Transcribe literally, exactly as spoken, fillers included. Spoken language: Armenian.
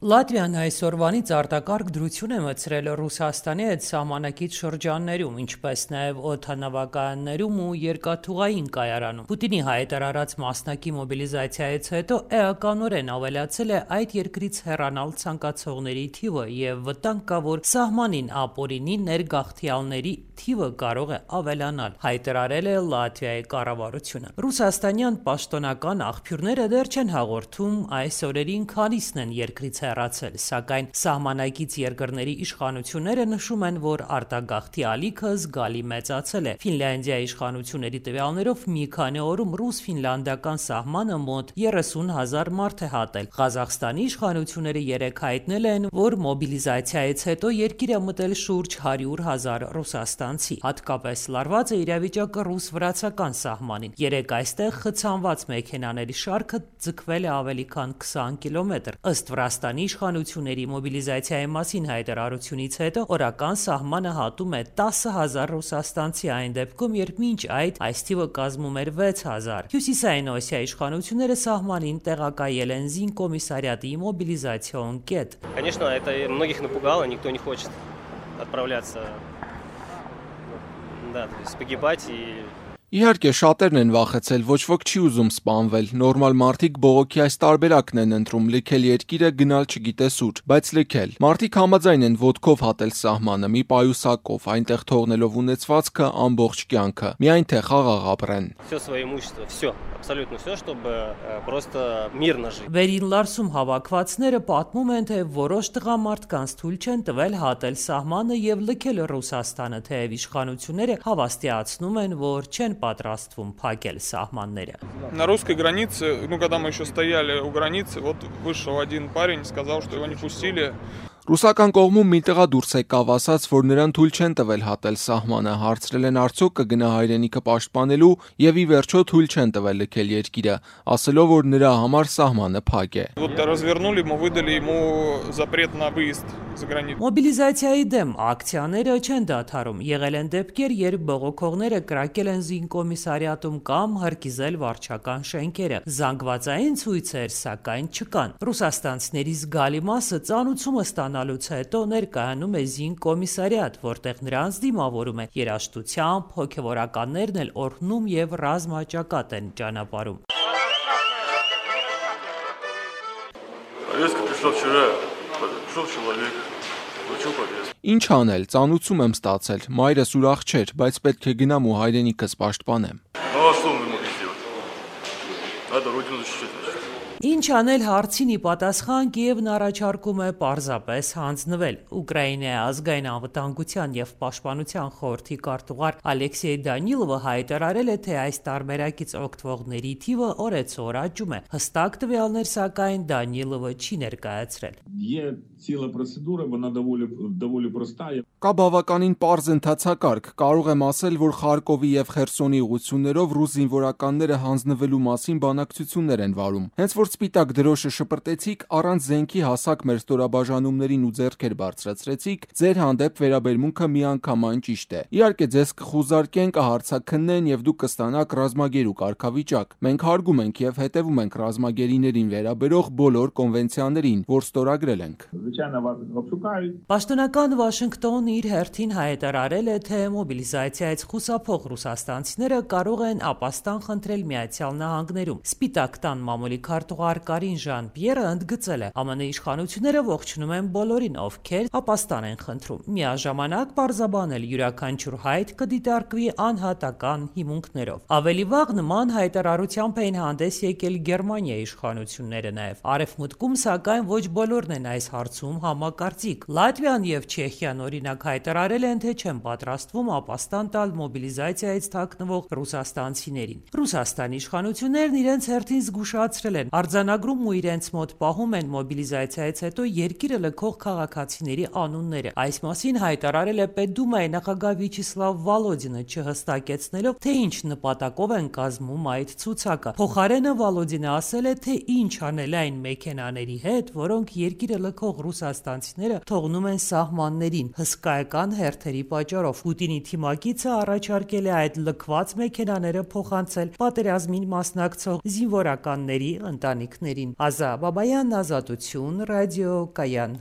Լատվիան այսօրվանից արտակարգ դրություն է մտցրել Ռուսաստանի հետ սահմանակից շրջաններում, ինչպես նաև օդանավակայաններում ու երկաթուղային կայարանում։ Պուտինի հայտարարած մասնակի մոբիլիզացիայից հետո էականորեն ավելացել է այդ երկրից հեռանալ ցանկացողների թիվը եւ վտանգ կա, որ սահմանին ապօրինի ներգաղթյալների թիվը կարող է ավելանալ, հայտարարել է Լատվիայի կառավարությունը։ Ռուսաստանյան պաշտոնական աղբյուրները դեռ չեն հաղորդում այս օրերին քանիսն են երկրից հեռացել, սակայն սահմանակից երկրների իշխանությունները նշում են, որ արտագաղթի ալիքը զգալի մեծացել է։ Ֆինլանդիայի իշխանությունների տվյալներով մի քանի օրում ռուս-ֆինլանդական սահմանը մոտ երեսուն հազար մարդ է հատել։ Ղազախստանի իշխանությունները երեկ հայտնել են, որ մոբիլիզացիայից հետո երկիր է մտել շուրջ հարյուր հազար ռուսաստանցի։ Հատկապես լարված է իրավիճակը ռուս-վրացական սահմանին։ Երեկ այստեղ խցանված մեքենաների շարքը ձգվել է ավելի քան քսան կիլոմետր։ Ըստ Վրաստանի իշխանությունների մոբիլիզացիայի մասին հայտարարությունից հետո օրական սահմանը հատում է տասը հազար ռուսաստանցի, այն դեպքում, երբ մինչ այդ այս թիվը կազմում էր վեց հազար։ Հյուսիսային Օսիայի իշխանությունները սահմանին տեղակայել են զինկոմիսարիատի մոբիլիզացիոն կետ։ Конечно, это многих напугало, никто не хочет отправляться, да, то есть погибать и Իհարկե շատերն են վախեցել, ոչ ոք չի ուզում սպանվել, նորմալ մարդիկ բողոքի այս տարբերակն են ընտրում, լքել երկիրը, գնալ չգիտես ուր, բայց լքել։ Մարդիկ համաձայն են ոտքով հատել սահմանը, մի պայուսակով, այնտեղ թողնելով ունեցվածքը, ամբողջ կյանքը, միայն թե խաղաղ ապրեն։ Всё свое имущество, всё, абсолютно всё, чтобы просто мирно жить։ Վերին Լարսում հավաքվածները պատմում են, թե որոշ տղամարդկանց թույլ չեն տվել հատել սահմանը եւ լքել Ռուսաստանը, թեև իշխանությունները հավաստիացնում են, որ չեն պատրաստվում փակել սահմանները։ На русской границе, ну когда мы еще стояли у границы, вот вышел один парень, сказал, что его не пустили. Ռուսական կողմում մի տղա դուրս եկավ, ասաց, որ նրան թույլ չեն տվել հատել սահմանը, հարցրել են արդյոք կգնա հայրենիքը պաշտպանելու եւ ի վերջո թույլ չեն տվել լքել երկիրը, ասելով, որ նրա համար սահմանը փակ է։ Вот развернули, мы выдали ему запрет на выезд за границу։ Մոբիլիզացիայի դեմ ակցիաները չեն դադարում։ Եղել են դեպքեր, երբ բողոքողները կրակել են զինկոմիսարիատում կամ հրկիզել վարչական շենքերը։ Զանգվածային ցույցեր, սակայն չկան։ Ռուսաստանցիների զգալի մասը ծանուցումը ստանալուց հետո ներկայանում է զինկոմիսարիատ, որտեղ նրանց դիմավորում է երաժշտությամբ, հոգևորականներն էլ օրհնում եւ ռազմաճակատ են ճանապարհում։ Ինչ անել, ծանուցում եմ ստացել, մայրս ուրախ չէր, բայց պետք է գնամ ու հայրենիքս պաշտպանեմ։ Ինչ անել հարցին ի պատասխան Կիևն առաջարկում է պարզապես հանձնվել։ Ուկրաինայի ազգային անվտանգության եւ պաշտպանության խորհրդի քարտուղար Ալեքսեյ Դանիլովը հայտարարել է, թե այս տարբերակից օգտվողների թիվը օրեցօր աճում է։ Հստակ տվյալներ, սակայն Դանիլովը չի ներկայացրել։ Կա բավականին պարզ ընթացակարգ, կարող եմ ասել, որ Խարկովի եւ Խերսոնի ուղություններով ռուս զինվորականները հանձնվելու մասին բանակցություններ են վարում։ Հենց որ սպիտակ դրոշը շպրտեցիք, առանց զենքի հասակ մեր ստորաբաժանումներին ու ձեռքեր բարձրացրեցիք, ձեր հանդեպ վերաբերմունքը միանգամայն ճիշտ է։ Իհարկե ձեզ կխուզարկեն, կհարցաքննեն եւ դուք կստանաք ռազմագերու կարգավիճակ։ Մենք հարգում ենք եւ հետեւում ենք ռազմագերիներին վերաբերող բոլոր կոնվենցիաներին, որ ստորագրել ենք։ Պաշտոնական Վաշինգտոնը իր հերթին հայտարարել է, թե մոբիլիզացիայից խուսափող ռուսաստանցիները կարող են ապաստան խնդրել Միացյալ Նահանգներում։ Սպիտակ տան մամուլի քարտուղար Կարին Ժան-Պիերը ընդգծել է, ԱՄՆ իշխանությունները ողջունում են բոլորին, ովքեր ապաստան են խնդրում։ Միաժամանակ պարզաբանել յուրաքանչյուր հայտ կդիտարկվի անհատական հիմունքներով։ Ավելի վաղ նման հայտարարությամբ էին հանդես եկել Գերմանիայի իշխանությունները նաև։ Արևմուտքում, սակայն, ոչ բոլորն են այս հարցում համակարծիք։ Լատվիան եւ Չեխիան օրինակ հայտարարել են, թե չեն պատրաստվում ապաստան տալ մոբիլիզացիայից թաքնվող ռուսաստանցիներին։ Ռուսաստանի իշխանություններն իրենց հերթին զգուշացրել են, արձանագրում ու իրենց մոտ պահում են մոբիլիզացիայից հետո երկիրը լքող քաղաքացիների անունները։ Այս մասին հայտարարել է Պետդումայի նախագահ Վիաչեսլավ Վալոդինը, չհստակեցնելով, թե ինչ նպատակով են կազմում այդ ցուցակը։ Փոխարենը Վալոդինը ասել է, թե ինչ անել այն մեքենաների հետ, որոնք երկիրը լքող ռուսաստանցիները թողնում են սահմաններին հսկայական հերթերի պատճառով։ Պուտինի թիմակիցը առաջարկել է այդ լքված մեքենաները փոխանցել պատերազմին մասնակցող զինվորականների ընտանիքներին։ ընտանիքներին։ Ազա Բաբայան, Ազատություն, ռադիո Կայան։